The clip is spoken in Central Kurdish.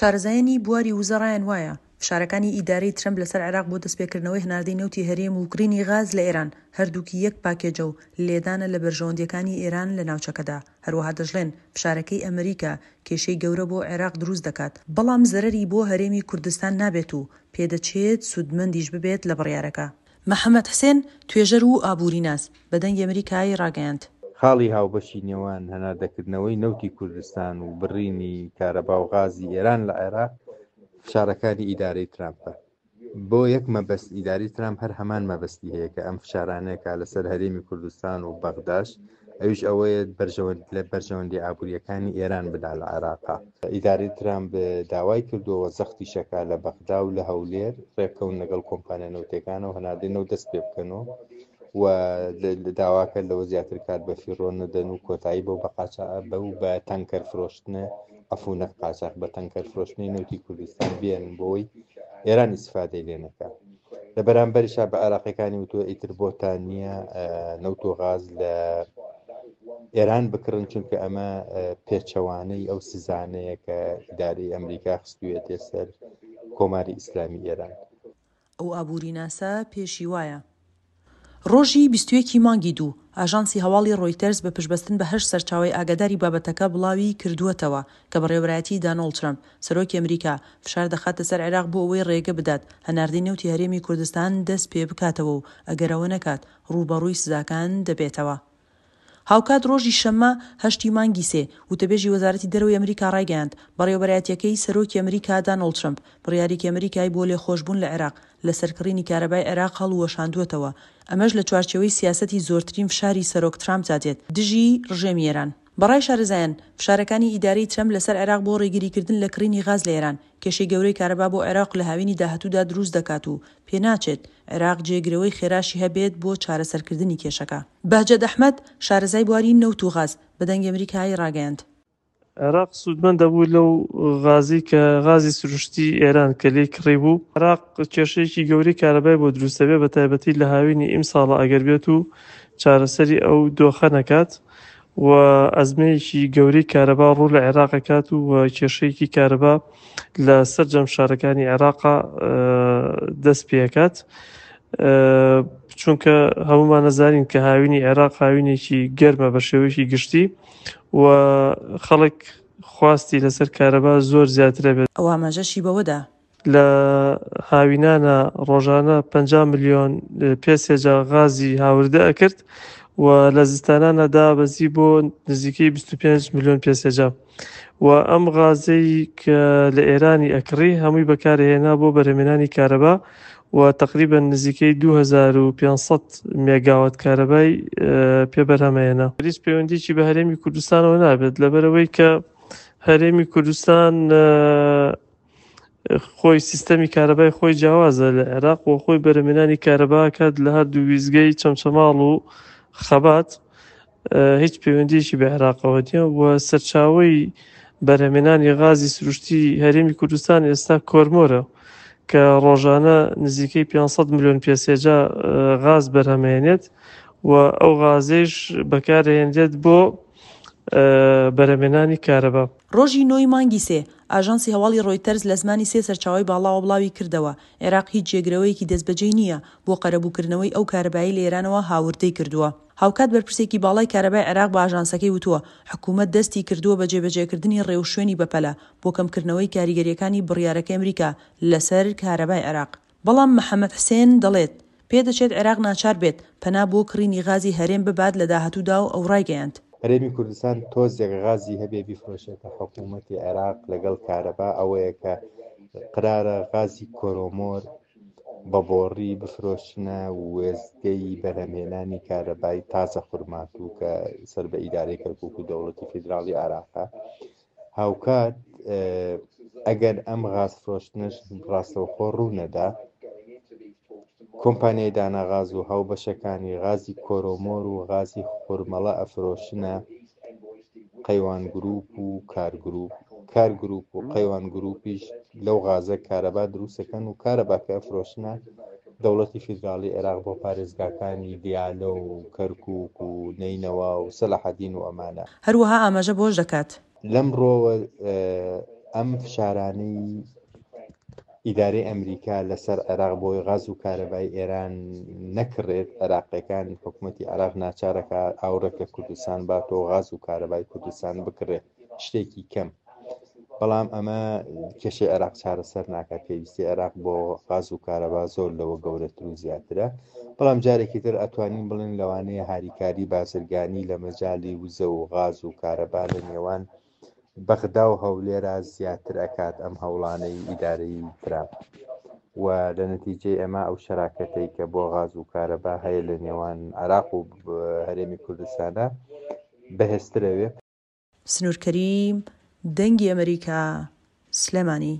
شارەزایانی بواری وزە ڕایان وایە، فشارەکانی ئیدارەی ترەمپ لەسەر عێراق بۆ دەستپێکردنەوەی هەناردەی نەوتی هەرێم و کڕینی غاز لە ئێران، هەردووکی یەک پاکێجە و لێدانە لە بەرژەوەندییەکانی ئێران لە ناوچەکەدا. هەروەها دەشڵێن، فشارەکەی ئەمریکا کێشەی گەورە بۆ عێراق دروست دەکات، بەڵام زەرەری بۆ هەرێمی کوردستان نابێت و پێدەچێت سوودمەندیش ببێت لە بڕیارەکە. محەمەد حسێن، توێژەر و ئابووریناس، بە دەنگی ئەمریکای ڕاگەیاند. خاڵی هاوبەشی نێوان هەناردەکردنەوەی نەوتی کوردستان و بڕینی کارەبا و غازی ئێران لە عێراق فشارەکانی ئیدارەی ترامپە. بۆ یەک مەبەست ئیدارەی ترامپ هەر هەمان مەبەستی هەیە کە ئەم فشارانەیە کە لەسەر هەرێمی کوردستان و بەغداش ئەویش ئەوەیە بەرژەوەند لە بەرژەوەندی ئابووریەکانی ئێران بدا لە عێراقا. ئیدارەی ترامپ داوای کردووە و زەختیشەکا لە بەغدا و لە هەولێر ڕێککەون لەگەڵ کۆمپانیا نەوتیەکانەوە هەناردەی نەوت دەست پێ بکەن و و داواکە لەوە زیاتر کات بە فیڕۆ نەدەن و کۆتایی بەو بە قاچا بەو بە تەنکەر فرۆشتنە عەفو نەک قاچاخ بە تەنکەر فرۆشتنی نەوتی کوردستان بێنن بۆی ئێران ئیسفادەی لێ نەکا. لە بەرامبەریشا بە عێراقیەکانی وتووە ئیتر بۆتان نییە نەوت و غاز لە ئێران بکڕن چونکە ئەمە پێچەوانەی ئەو سزانەیە کە ئیدارەی ئەمریکا خستوویەتێ سەر کۆماری ئیسلامی ئێران. ئەو ئابووریناسە پێشی وایە، ڕۆژی 21 ی مانگی دوو، ئاژانسی هەواڵی ڕۆیتەرز بە پشتبەستن بە هەشت سەرچاوەی ئاگاداری بابەتەکە بڵاوی کردووەتەوە کە بەڕێوەبەرایەتیی دانۆڵد ترەمپ، سەرۆکی ئەمریکا، فشار دەخاتە سەر عێراق بۆ ئەوەی ڕێگە بدات هەناردەی نەوتی هەرێمی کوردستان دەست پێ بکاتەوە و ئەگەر ئەوە نەکات ڕووبەڕووی سزاکان دەبێتەوە. هاوکات ڕۆژی شەممە هەشتی مانگی سێ، وتەبێژی وەزارەتی دەرەوەی ئەمریکا ڕایگەیاند، بەڕێوەبەرایەتییەکەی سەرۆکی ئەمریکا دانۆڵد ترەمپ بڕیارێکی ئەمریکای بۆ لێخۆشبوون لە عێراق لەسەر کڕینی کارەبای عێراق هەڵوەشاندووەتەوە، ئەمەش لە چوارچێوەی سیاسەتی زۆرترین فشاری سەرۆک ترامپدا دێت دژی ڕژێمی ئێران. بەڕای شارەزایان، فشارەکانی ئیدارەی ترەمپ لەسەر عێراق بۆ ڕێگریکردن لە کڕینی غاز لە ئێران، کێشەی گەورەی کارەبا بۆ عێراق لە هاوینی داهاتوودا دروست دەکات و پێناچێت عێراق جێگرەوەی خێراشی هەبێت بۆ چارەسەرکردنی کێشەکە. بەهجەت ئەحمەد، شارەزای بواری نەوت و غاز، بە دەنگی ئەمریکای ڕاگەیاند. عێراق سوودمەند دەبوو لەو غازەی کە غازی سروشتی ئێران کە لێی کڕیبوو. عێراق کێشەیەکی گەورەی کارەبای بۆ دروست دەبێت بە تایبەتی لە هاوینی ئیمساڵە ئەگەر بێت و چارەسەری ئەو دۆخە نەکات و ئەزمەیەکی گەورەی کارەبا ڕوو لە عێراق ئەکات و کێشەیەکی کارەبا لە سەرجەم شارەکانی عێراقا دەست پێکات چونکە هەمومان نەزانین کە هاوینی عێراق هاوینێکی گەرمە بە شێوەیەکی گشتی و خەڵک خواستی لەسەر کارەبا زۆر زیاترە بێت. ئەو ئاماژەشی بەوەدا، لە هاوینانە ڕۆژانە 50 ملیۆن پێ سێجا غازی هاوردە ئەکرد و لە زستانانە دابەزی بۆ نزیکەی 25 ملیۆن پێ سێجا و ئەم غازەی کە لە ئێرانی ئەکڕی هەمووی بەکارهێنا بۆ بەرهەمێنانی کارەبا و تەقریبەن نزیکەی 2500 مێگاوات کارەبای پێ بەرهەمەێنا. هیچ پەیوەندیی بە هەرێمی کوردستانەوە نابێت لەبەرئەوەی کە هەرێمی کوردستان خۆی سیستەمی کارەبای خۆی جیاوازە لە عێراق و خۆی بەرهەمێنانی کارەبا کات لە هەردوو ویزگەی چەمچەماڵ و خەبات هیچ پەیوەندیەکی بە عێراقەوە نییە و سەرچاوەی بەرهەمێنانی غازی سروشتی هەرێمی کوردستان ئێستا کۆرمۆرە کە ڕۆژانە نزیکەی 500 ملیۆن پێسێجا غاز بەرهەمێنێت و ئەو غازەیش بەکارهێنرێت بۆ بەرهەمێنانی کارەبا. ڕۆژی نۆی مانگی سێ، ئاژانسی هەواڵی ڕۆیتەرز لە زمانی سێ سەرچاوەی باڵاوە بڵاوی کردەوە، عێراق هیچ جێگرەوەیەکی دەستبەجێی نییە بۆ قەرەبووکردنەوەی ئەو کارەبایەی لە ئێرانەوە هاوردەی کردووە. هاوکات بەرپرسێکی باڵای کارەبای عێراق بە ئاژانسەکەی وتووە، حکومەت دەستی کردووە بە جێبەجێکردنی ڕێوشوێنی بەپەلە بۆ کەمکردنەوەی کاریگەرییەکانی بڕیارەکەی ئەمریکا لەسەر کارەبای عێراق. بەڵام محەمەد حسێن دەڵێت، پێدەچێت عێراق ناچار بێت پەنا بۆ کڕینی غازی هەرێم ببات لە داهاتوودا و ئەو ڕایگەیاند. هەرێمی کوردستان تۆزێک غازی هەبێ بیفرۆشێتە حکوومەتی عێراق لەگەڵ کارەبا ئەوەیە کە قرارە غازی کۆرۆمۆر بە بۆڕی بفرۆشنە وێستگەی بەرهەمهێنانی کارەبای تازە خورماتوو کە سەر بە ئیدارەی کەرکوک و دەوڵەتی فیدراڵی عێراقە هاوکات ئەگەر ئەم غاز فرۆشتنەش ڕاستەوخۆ ڕوونەدا کۆمپانیای داناغاز و هاوبەشەکانی غازی کۆرۆمۆر و غازی خورمەڵە ئەفرۆشنە قەیوان گروپ و کار گروپ کار گروپ و قەیوان گروپیش لەو غازە کارەبا دروستەکەن و کارەباکە ئەفرۆشنە دەوڵەتی فیدراڵی عێراق بۆ پارێزگاکانی دیالە و کەرکوک و نەینەوا و سەلاحەدین و ئەمانە. هەروەها ئاماژە بەوەش دەکات. لەم ڕووەوە. ئەم فشارانەی ئیدارەی ئەمریکا لەسەر عێراق بۆی غاز و کارەبای ئێران نەکڕێت، عێراقیەکان حکومەتی عێراق ناچارەکە ئاوڕێک لە کوردستان باتەوە غاز و کارەبای کوردستان بکڕێت شتێکی کەم. بەڵام ئەمە کێشەی عێراق چارەسەر ناکات پێویستی عێراق بۆ غاز و کارەبا زۆر لەوە گەورەتر و زیاترە بەڵام جارێکی تر ئەتوانین بڵێن لەوانەیە هاریکاری بازرگانی لە مەجالی وزە و غاز و کارەبا لە نێوان بەغدا و هەولێرا زیاتر ئەکات ئەم هەوڵانەی ئیدارەی ترامپ و لە نەتیجەی ئەمە ئەو شەراکەتەی کە بۆ غاز و کارەبا هەیە لە نێوان عێراق و هەرێمی کوردستانە بەهێزترەوێ. سنوور کەریم، دەنگی ئەمەریکا، سلێمانی.